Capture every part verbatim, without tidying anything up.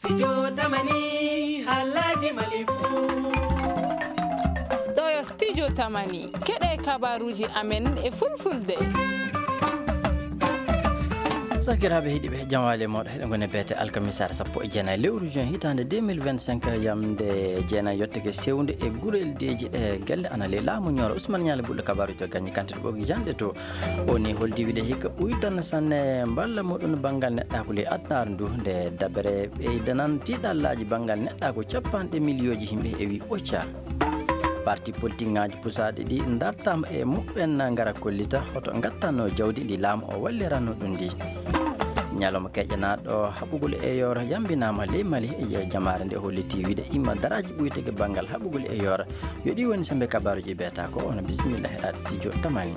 Studio Tamani, haalaaji Mali fuu. Ɗo yo Studio Tamani, keɗe kabaruuji amen e fulfulde. Sakiraaɓe heɗiiɓe, jam waali e mooɗon. Heɗen ngoni beete alkamisaare sappo e jeenayi lewru juin hitaande deux mille vingt-cinq, yamnde jeenayi yottake sewnde e gureldeeji ɗe gelle ana ley laamu Ñooro. Ousmane Ñaali Bulɗo kabaruuji o gañi kantite ɓogi janɗe to. O ni holdi wiide hikka ɓuytan sanne mballa muɗum banngal neɗɗaaku ley adunaaru ndu, nde dabere ɓeydanan tiiɗallaaji banngal neɗɗaaku cappanɗe miliyooji yimɓe e wi ɓocca. Parti politik ŋaaji pusaaɗi ɗi dartaama e muɓɓen ngara kollita hoto ngattanno jawdi ndi laamu o walliranno ɗum ndi. Ñalawma keƴanaaɗo haɓugol e yooro yambinaama ley Mali e jamaare nde holliti wiide imma daraaji ɓuytege banngal haɓugol e yooro. Yo ɗi woni sembe kabaruuji beeta ko ono bisimilla heɗaade studio Tamani.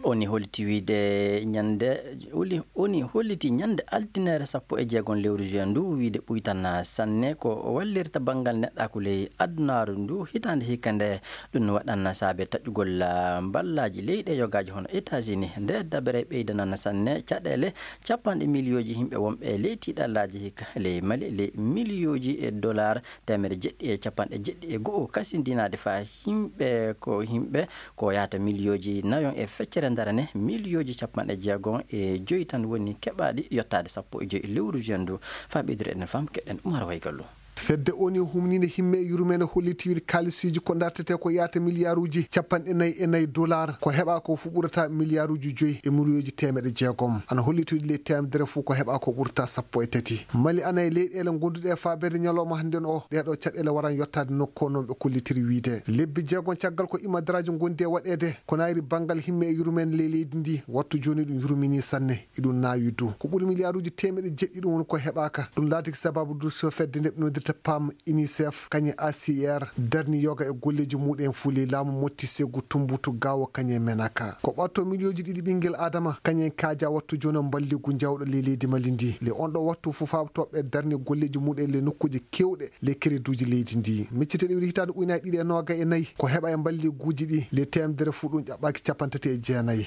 Oni holliti wiide ñande, oli-, oni holliti ñande altine sappo e jeegom lewru juin ndu wiide ɓuytan sanne ko wallirta banngal neɗɗaaku ley adunaaru ndu hitaande hikka nde ɗum waɗan saabe taƴugol, ah, mballaaji leyɗe yogaaji hono États-Unis nde dabere ɓeydanan sanne caɗeele cappanɗe miliyooji yimɓe wonɓe ley tiiɗallaaji hikka ley Mali ley miliyooji e dollar teemedde jeɗɗi e cappanɗe jeɗɗi e go'o kasindinaade faa yimɓe ko yimɓe ko yahata miliyooji nayon e feccere darane miliyooji cappanɗe jeegom e joyi tan woni keɓaaɗi yottaade sappo e joyi lewru juin ndu. Faa ɓeydude eɗen fam keɗen Umar Waygallo. Fedde oni humniinde himme e yurmeende holliti wiide kaalisiiji ko dartete ko yahata miliyaaruuji cappanɗe nayi e nayi dollar ko heɓaa ko fof ɓurata miliyaaruuji joyi e miliyooji teemedde jeegom. Ana holliti wiide ley teemedere fof ko heɓaa ko ɓurata sappo e tati. Mali ana e leyɗeele gonduɗe e faabeede ñalawma hannden o. Ɗeeɗoo caɗeele waran yottaade nokku o non ɓe kollitiri wiide. Lebbi jeegom caggal ko imadaraaji ngondi e waɗeede. Ko naayiri banngal himme e yurmeende ley leydi ndi. Wattu jooni ɗum yurminii sanne. Iɗum naawi du. Ko ɓuri miliyaaruuji teemedde jeɗɗi ɗum woni ko heɓaaka. Ɗum laatiki sababu du so fedde nde ɓe noddirta pam, UNICEF, kañum A C R, darni yoga e golleeji muɗum fof ley laamu motti segu tumbutu gawo kañum e menaka. Ko ɓatto miliyooji ɗiɗi ɓinngel Adama, kañum en kaaja wattu jooni o mballigu jawɗo ley leydi Mali ndi. Le on ɗo wattu fof faaɓtooɓe darni golleeji muɗum e le nokkuuji keewɗe le kereduuji leydi ndi. Micciteɗi wiɗi hitaande ujunaaji ɗiɗi e noogay e nayi, ko heɓa e mballiguuji ɗi le teemedere fof ɗum ƴaɓɓaaki cappanɗe tati e jeenayi.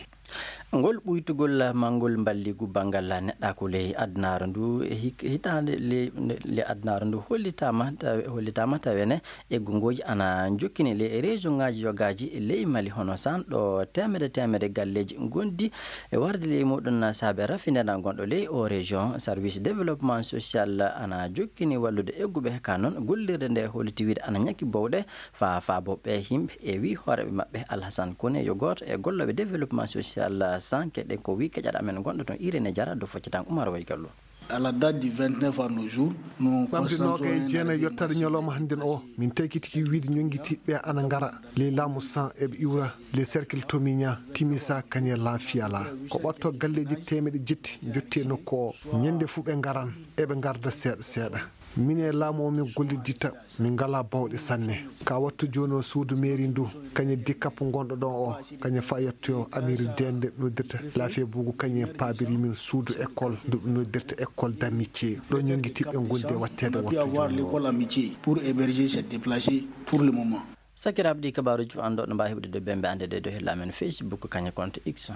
Ngol ɓuytugol manngol mballigu banngal neɗɗaaku ley adunaaru ndu, e hik-, hitaande le, le adunaaru ndu hollitaama, taw-, hollitaama tawene e gongooji ana jokkini ley région ŋaaji yogaaji ley Mali, hono san ɗo teemedde teemedde galleeji ngondi e warde ley muɗum saabe rafinere gonɗo ley o région. Service développement social ana jokkini wallude egguɓe ka noon gollirde nde holliti wiide ana ñaki bowɗe. Fa faabo ɓe yimɓe e wi hooreɓe maɓɓe Alhasan Kone yo gooto e gollooɓe développement social sanke ɗen ko wi keƴaɗo amen gonɗo toon Irene Jara do foccitan Umar Waygallo. À la date du vingt-neuf à nos jours, nous ɓamde constatons noogay un jeenayi arrêt yottaade ñalawma hannden o, min taykitiki wiide ñonngitiiɓe ana ngara ley laamu san eɓe iwra ley cercle Tomiña, Timisa, kañe Lanfiyala. Ko ɓatto galleeji teemeɗe jetti jotti e nokku o. Ñande fuu ɓe ngaran, eɓe ngarda seeɗa seeɗa. Min e laamu o min golliditta, min ngalaa bawɗe sanne. Ka wattu jooni o suudu meeri ndu, kañe dikkapu ngonɗo ɗon o, kañe fa yettoyo Amiri Dende noddirta Laafiya Buugu, kañe paabiri min suudu école ndu ɓe noddirta école d'amitié. Ɗo ñonngitiiɓe ngondi e watteede on a pu wattu avoir jooni o. L'école amitié pour héberger cette déplacée pour le moment. Sakiraaɓe ɗi kabaaruuji fof anndo no mbaawi heɓude dow bembe annde ɗe dow hella amen Facebook kañe compte X.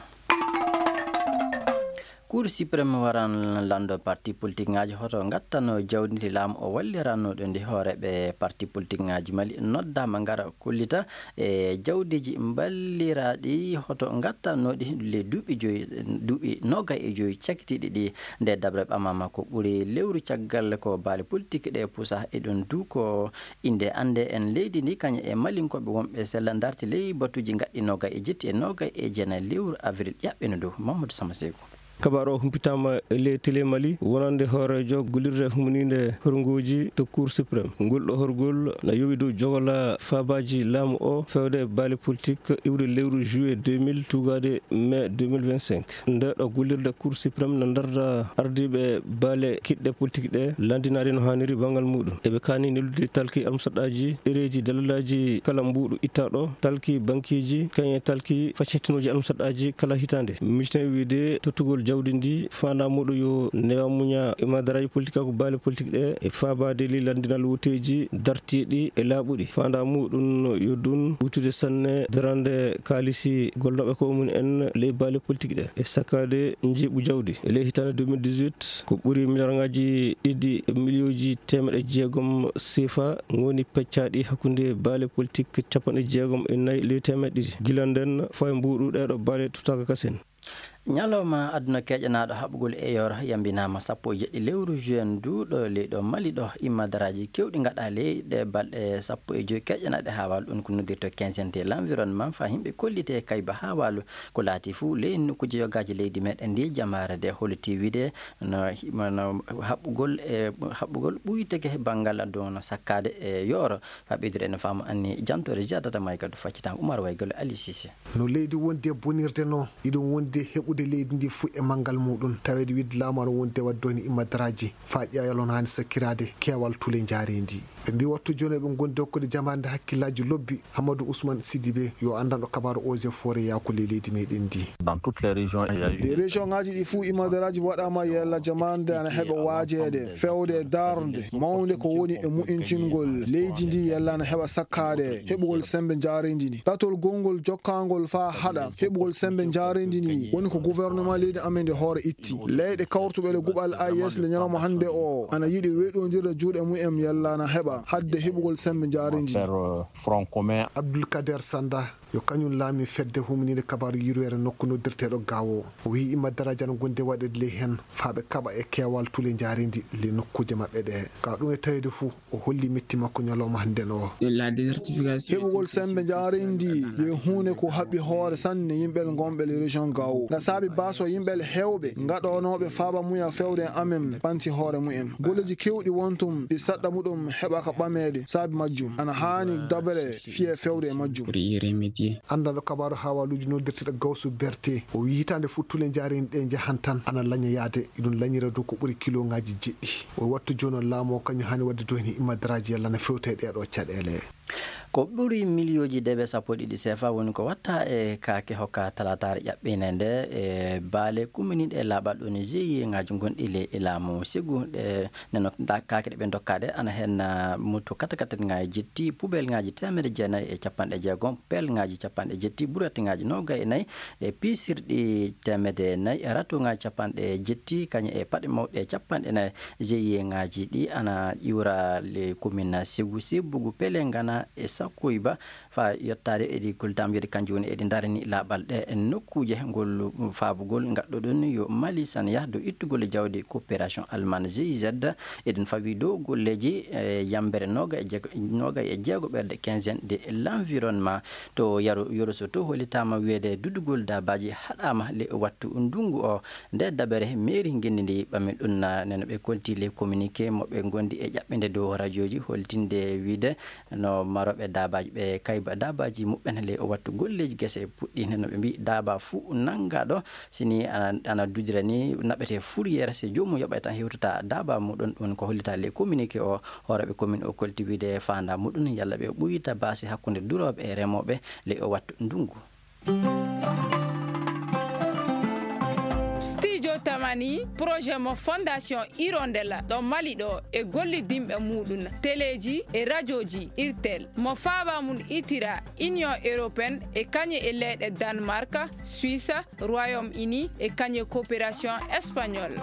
Cour suprême waran lanndo parti politique ŋaaji hoto ngattanno jawdi ndi laamu o walliranno ɗo ndi hooreɓe parti politique ŋaaji Mali noddaama ngara kollita e jawdiiji mballiraaɗi hoto ngattanno ɗi le duuɓi joyi, duuɓi noogay e joyi cakitiiɗi ɗi. Nde dabre ɓamama ko ɓuri lewru caggal ko baali politique ɗe pusa e ɗon du ko innde annde en leydi ndi kañum e malinkooɓe wonɓe sella darti ley batuuji gaɗɗi noogay e jetti e noogay e jeenayi lewru avril ƴaɓɓino dow Mamadou Sama Seeku. Kabaru o humpitaama e ley télé Mali wonande hooreejo gollirde humniinde horngooji to Cour suprême. Ngol ɗo horgol na yowi dow jogola faabaaji laamu o fewde baali politique iwde lewru juillet deux mille tugaade mai deux mille vingt-cinq. Nde ɗo gollirde Cour suprême na darda ardiiɓe baale kiɗɗe politique ɗe, lanndinaade no haaniri banngal muɗum. Eɓe kaani neldude talki almusaɗɗaaji, ɗereeji dalalaaji kala mbuuɗu ittaaɗo, talki bankiiji, kañum e talki faccintinooji almusaɗɗaaji kala hitaande. Miijten wiide tottugol Jawdi ndi faandaa muɗum yo newa muña e madaraaji politik ko baale politik ɗe e faabaade ley lanndinal wooteeji dartiiɗi e laaɓuɗi. Faandaa muɗum yo ɗum wuytude sanne darande kaalisi golnooɓe ko mum en ley baale politik ɗe e sakkaade njiiɓu jawdi. E ley hitaande deux mille dix-huit, ko ɓuri miliyarŋaaji ɗiɗi e miliyooji teemeɗe jeegom sefa ngoni peccaaɗi hakkunde baale politik capanɗe jeegom e nayi ley teemeɗe ɗiɗi. Gila nden faa e mbuuɗu ɗeeɗo baale tottaaka kasen. Ñalawma aduna keƴanaaɗo haɓugol e yooro yambinaama sappo e jeɗɗi lewru juin ndu ɗo leyɗo Mali ɗo. Imma daraaji kewɗi ngaɗaa ley ɗe balɗe sappo e joy keƴanaaɗe haa waalo ɗum ko noddirto quinzaine de l'environnement faa yimɓe kollite kayba haa waalo ko laati fuu ley nokkuuji yogaaji leydi meɗen ndi jamaare nde holiti wiide no, no haɓugol e haɓugol ɓuyteke banngal aduna sakkaade e yooro. Faa ɓeydude ene faamu anni jantoore ziyadata may kadi faccitaama Umar Waygol Ali Sise. No leydi wondi e bonirde no, iɗum wondi e heɓude leydi ndi fuu e manngal muɗum, taweede wiide laamu ana wondi e waɗde woni immadaraaji, faa ƴeewa yalon haani sakkiraade keewal tule njaareendi. Ɓe mbii wattu jooni ɓe ngondi hokkude jamaande hakkillaaji lobbi, Hamadou Ousmane Sidibé, yo anndanɗo kabaaru Eaux et Forêts yaako ley leydi meɗen ndi. Dans toutes les régions, il y a eu Ɗi région ŋaaji ɗi fuu immadaraaji waɗaama yalla jamaande ana heɓa waajeede, fewde e darnde mawnde ko woni e mu'intingol leydi ndi yalla ana heɓa sakkaade heɓugol sembe njaareendi ndi. Ɗatol gongol jokkaangol faa haɗa heɓugol sembe njaareendi ndi woni ko gouvernement leydi amen ndi hoore itti. Leyɗe kawrutuɓe le guɓal A E S le ñalawma hannde o ana yiɗi weɗondirde juuɗe mumen yalla ana heɓa hadde heɓugol sembe njaareendi ndi. Faire, euh, front commun. Abdoulkader Sanda, yo kañum laami fedde humniinde kabaaru yurweere nokku noddirteeɗo Gaawo. O wiyi immadaraaji ana ngondi e waɗeede ley heen faa ɓe kaɓa e keewal tule njaareendi ley nokkuuje maɓɓe ɗe. Ka ɗum e taweede fuu, o holli metti makko ñalawma hannde o. La désertification. Heɓugol sembe njaareendi yo huunde ko haɓɓi hoore sanne yimɓe gonɓe ley région Gaawo. Nga saabi baaso yimɓe heewɓe ngaɗonooɓe faaba muya fewde e amen ɓanti hoore mumen. Golleeji kewɗi won tun ɗi saɗɗa muɗum heɓaka ɓameede saabi majjum. Ana haani dabere fiye fewde e majjum. Pour y remédier. Anndanɗo kabaaru haawaaluuji noddirteeɗo Gawsu Berte, o wiyi hitaande fuu tule njaareendi ɗe njahan tan ana laña yaade, iɗum lañira dow ko ɓuri kiloŋaaji jeɗɗi. O wattu jooni o laamu o kañum haani waɗde dow heen immadaraaji yalla na fewta e ɗeeɗoo caɗeele. Ko ɓuri miliyooji dewe sappo e ɗiɗi sefa woni ko watta e kaake hokka talaataare ƴaɓɓiinde nde e baale kumminiiɗe e laaɓal ɗo ni G I E ŋaaji gonɗi ley e laamu sigu ɗe. Nden noon, ndaa kaake ɗe ɓe ndokkaa ɗe, ana heen, ah, moto katakataaji jetti, pubelŋaaji teemedde jeenayi e capanɗe jeegom, pelŋaaji capanɗe jetti, buretŋaaji noogay e nayi, e piisirɗi teemedde nayi, e ratoŋaaji capanɗe jetti, kañum e paɗe mawɗe capanɗe nayi. G I E ŋaaji ɗi ana ƴuura le commune Sigu, Sibugu, Pelengana e Sakuiba. Faa yottaade eɗi koltaama wiide kanjum woni eɗi ndarani laaɓal ɗe nokkuuje ngol faabugol ngaɗɗoɗon yo Mali san yah dow ittugol e jawdi coopération allemande G I Z. Eɗen fawi dow golleeji e yambere noogay e jeego, noogay e jeego ɓerde quinzaine de l'environnement. To Yaro, Yoroso to hollitaama wiyeede dudugol daabaaji haɗaama le wattu ndungu o. Nde dabere mairie ngenndi ndi ɓami ɗum na neno ɓe kolti le communiqué mo ɓe ngondi e ƴaɓɓinde dow rajooji holtinde wiide no marooɓe daabaaji ɓe kayba daabaaji muɓɓen le o wattu golleeji gese puɗɗi. Neno ɓe mbii daaba fuu nanngaɗo sini ana, ana dudira ni naɓete fourrière, si joomum yoɓay tan hewtata daaba muɗum. Ɗum ko hollita le communiqué o hooreeɓe commune o kolti wiide faanda muɗum yalla ɓe ɓuyta baasi hakkunde durooɓe e remooɓe le o wattu ndungu. Studio Tamani, projet mo Fondation Hirondelle ɗo Mali ɗo e gollidinɓe muɗum, teleeji e rajooji Irtel, mo faaba mum itira Union Européenne e kañe e leyɗe Danemark, Suisse, Royaume-Uni e kañe coopération espagnole.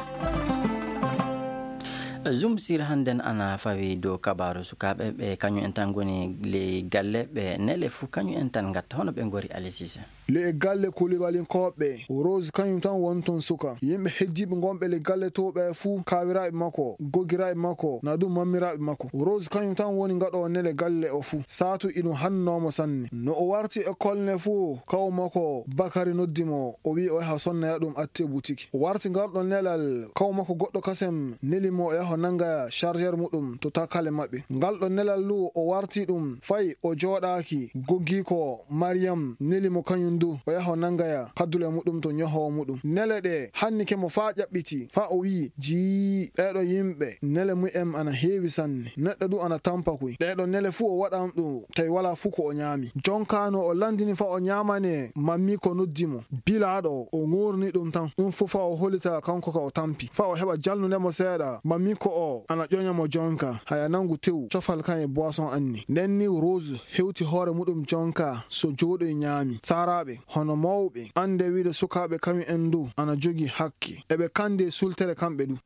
Zoom sur hannden ana fawi dow kabaaru sukaaɓe ɓe kañum en tan ngoni ley galle ɓe nele fuu kañum en tan ngatta hono ɓe ngori Aliou Cissé. Le e galle Kulibalinkooɓe, Rose kañum tan woni toon suka. Yimɓe heddiiɓe ngonɓe le galle to ɓe fuu, kaawiraaɓe makko, gogiraaɓe makko, na ɗum mammiraaɓe makko. Rose kañum tan woni ngaɗo nele galle o fuu. Saatu iɗum hannoomo sanne. No o warti école ne fuu, kaw makko Bakari noddi mo, o wi'i o yaha sonnoya ɗum atte butiki. O warti ngal ɗon nelal, kaw makko goɗɗo kasem neli mo o yaha nanga chargeur muɗum to takale maɓɓe. Ngal ɗon nelal lu o warti ɗum, fay o jooɗaaki, goggi ko Mariyam neli mo kañum du, o yaha o nangaya kaddule muɗum to ñohoowo muɗum. Nele ɗe hannike mo faa ƴaɓɓiti, faa o wi'i, "Jii, ɓeeɗo yimɓe, nele mu'em ana heewi sanne. Neɗɗo du ana tampa kuy. Ɗeeɗo nele fuu o waɗan ɗum, tawi walaa fuu ko o ñaami." Jonkaano o lanndini faa o ñaamane, mammiiko noddi mo. Bilaaɗo o ŋoorni ɗum tan. Ɗum fuu faa o holita kanko ka o tampi. Faa o heɓa jalnunde mo seeɗa, mammiiko o ana ƴoña mo jonka. Haya nangu tew, cofal kan e boisson anni. Nden ni Rose hewti hoore muɗum jonka, so jooɗoy ñaami. Saaraaɓe, hono mawɓe, anndee wiide sukaaɓe kañum en du ana jogii hakke. Eɓe kanndee sultere kamɓe du.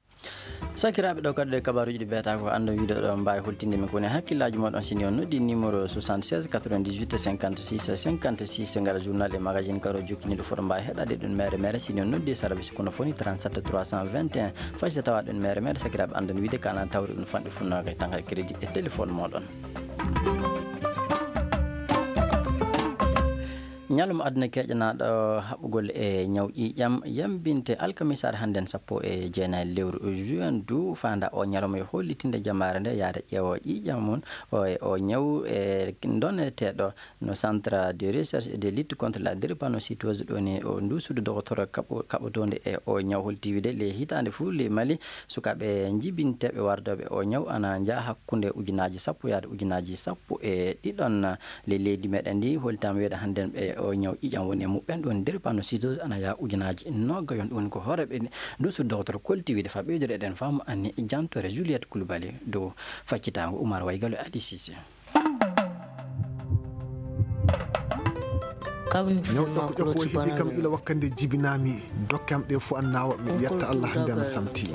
Sakiraaɓe, ɗo kadi ɗo e kabaaruuji ɗi mbiyata ko anndon wiide ɗo mbaawi holtinde min ko woni hakkillaaji mooɗon. Si ni on noddi numéro soixante-seize quatre-vingt-dix-huit cinquante-six cinquante-six, ngara journal e magazine karo jokkiniiɗo foto mbaawi heɗaade ɗum mere mere. Si ni on noddi e sarabi si kono foni trente-sept trois cent vingt et un. Fay so tawa ɗum mere mere, sakiraaɓe, anndon wiide kana tawri ɗum fanɗi funnaaka e tanga crédit e téléphone mooɗon. Ñalawma aduna keƴanaaɗo haɓugol e ñaw ƴiiƴam yambinte alkamisaare hannden sappo e jeenayi lewru juin du, faanda o ñalawma yo hollitinde jamaare nde yaada ƴeewo ƴiiƴam mum o e o ñaw e doneteeɗo no Centre de Recherche et de Lutte contre la Drépanocytose, ɗo ni o ndu suudu dogotoro kaɓo-, kaɓotoonde e o ñaw holti wiide le hitaande fuu le Mali sukaaɓe njibinteeɓe wardooɓe o ñaw ana njaha hakkunde ujunaaji sappo yaade ujunaaji sappo e ɗiɗon. Le leydi meɗen ndi holtaama wiyeede hannden ɓe o ñaw ƴiiƴam woni e muɓɓen ɗum drépanocytose ana yaha ujunaaji noogayon. Ɗum woni ko hooreeɓe ndu suudu dogotoro kolti wiide faa ɓeydude eɗen faamu anni jantore Juliette Coulibaly dow faccitaango Oumar Waygalo e Ali Cissé. Ñaw ƴokko ƴokko o heɓi kam ila wakkati nde jibinaami. Dokke am ɗe fof an naawa, miɗo yetta Allah hannde ana samti.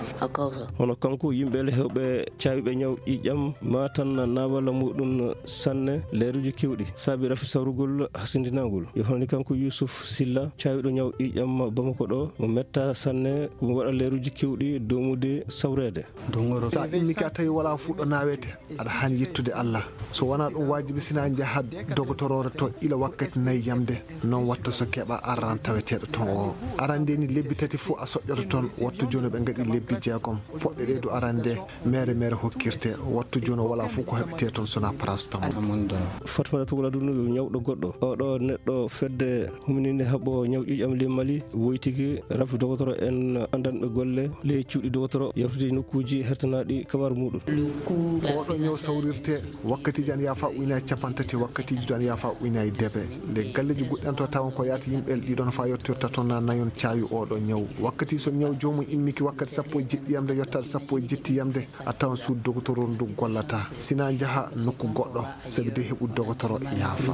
Hono kanko, yimɓe le heewɓe caawɓe ñaw ƴiiƴam maa tan naawala muɗum sanne leeruuji keewɗi saabi rafi sawrugol hasindinaangol. Yo hono ni kanko Youssouf Silla, caawɗo ñaw ƴiiƴam Bamako ɗo, mo metta sanne ko mo waɗa leeruuji keewɗi doomude sawreede. So a immike a tawi walaa fuu ɗo naawete, aɗa haani yettude Allah. So wonaa ɗum waajibi, sinaa njaha dogotoroore to ila wakkati nayi yamde. Noon watta so keɓa arran taweteeɗo toon o. Arande ni lebbi tati fof a soƴƴoto toon. Wattu jooni ɓe ngaɗi lebbi jeegom. Poɗɗe ɗe du arande mere mere hokkirte. Wattu jooni o walaa fof ko heɓetee toon sonaa paracétamol. Fatmata Tugal Aduna yo ñawɗo goɗɗo. Oɗo neɗɗo fedde humininde haɓɓo ñaw ƴiiƴam ley Mali woytiki rafi dogotoro en anndanɓe golle ley cuuɗi dogotoro yawtude nokkuuji hertanaaɗi kabaru muɗum. Ko oɗo ñaw sawrirte. Wakkatiiji ana yaafa ujunaaji capanɗe tati, wakkatiiji du ana yaafa ujunaaji debe. Nde galleeji goɗɗi ana to tawon ko yaata yimɓe ɗiɗon faa yottoyta toon na nayon caawi oɗo ñaw. Wakkati so ñaw joomum immiki wakkati sappo e jeɗɗi yamde yottaade sappo e jetti yamde, a tawan suudu dogotoro ndu gollata. Sinaa njaha nokku goɗɗo, sabi de heɓu dogotoro yaafa.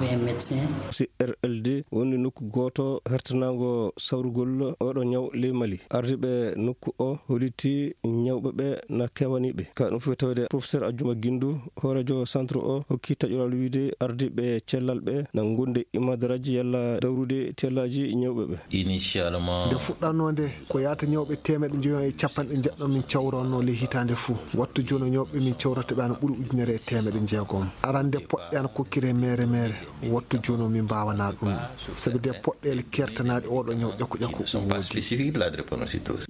C R L D woni nokku gooto hertanaango sawrugol oɗo ñaw ley Mali. Ardiiɓe nokku o holliti ñawɓe ɓe na keewani ɓe. Ka ɗum fof tawde professeur Ajuma Gindu, hooreejo centre o, hokki taƴoral wiide ardiiɓe cellal ɓe na ngondi e imadaraaji yalla dawrude tellaaji ñawɓe ɓe. Initialement. Nde fuɗɗanoo nde, ko yaata ñawɓe teemeɗɗe njoyo e capanɗe njeɗɗo min cawrannoo ley hitaande fuu. Wattu jooni o ñawɓe min cawrata ɓe ana ɓuri ujunere e teemeɗɗe jeegom. Arande poɗɗe ana kokkiree mere mere. Wattu jooni o min mbaawanaa ɗum. Sabi de poɗɗeele kertanaaɗe oɗo ñaw ƴakku ƴakku.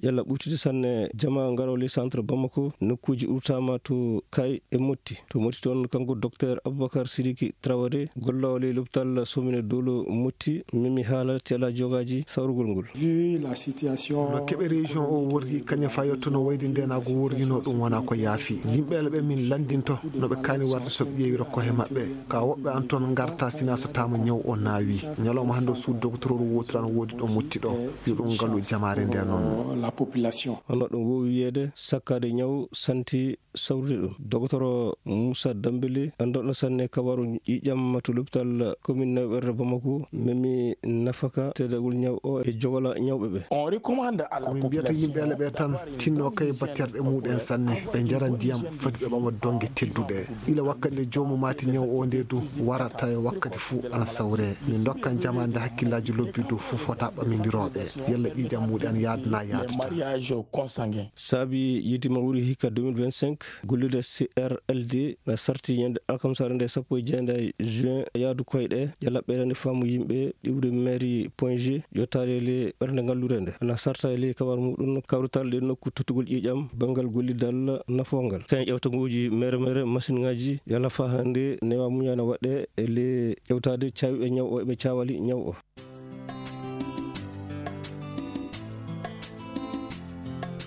Yalla ɓuytude sanne jamaa ngaroo ley centre Bamako, nokkuuji urtaama to Kay e Motti. To Motti toon, kanko Docteur Aboubacar Sidiki Traoré, golloowo ley lopital Somine Dolo Motti, memi haala tela jogaaji sawrugol ngol. Vu la situation. No keɓe région o worri, kañum fayotto no wayde ndenaago worrino ɗum wonaa ko yaafi. Yimɓe ɓe min lanndinto no ɓe kaani warde so ɓe ƴeewira kohe maɓɓe. Ka woɓɓe an toon ngarta sinaa so taama ñaw o naawi. Ñalawma hannde o suudu dogotoro wootiran woodi ɗo Motti ɗo. Yo ɗum ngalu jamaare nde noon. La population. Hono ɗum woowi wiyeede sakkaade ñaw santi sawrude ɗum. Dogotoro Moussa Dambélé, anndanɗo sanne kabaru ƴiiƴam to lopital commune Nayaɓerde Bamako, memi nafaka teddagol ñaw o e jogola ñawɓe ɓe. On recommande à la population. Ko min mbiyata yimɓe ale ɓe tan, tinno kay batterɗe muɗen sanne, ɓe njara ndiyam, fati ɓe ɓama donge tedduɗe. Ila wakkati nde joomum maati ñaw o nde du warata e wakkati fuu ana sawre. Min ndokkan jamaande hakkillaaji lobbi du fof fota ɓamindirooɓe. Yalla ƴiiƴam muɗen yaadna yaadata. Mariage consanguin. Saabi yiide mawri hikka deux mille vingt-cinq, golliiɗo C R L D na sarti ñande alkamsaare nde sappo e jeenayi juin yaadu koyɗe, ƴalla ɓeydande faamu yimɓe iwde mairie Point G, yottaade le ɓernde ngallure nde. Na sarta e ley kabaru muɗum kawrital ɗe nokku tottugol ƴiiƴam banngal gollidal nafoongal. Kañum ƴewta nguuji mere mere masiŋaaji yalla faa hannde newa muñana waɗe e ley ƴewtaade caawiɓe ñaw o e ɓe caawali ñaw o.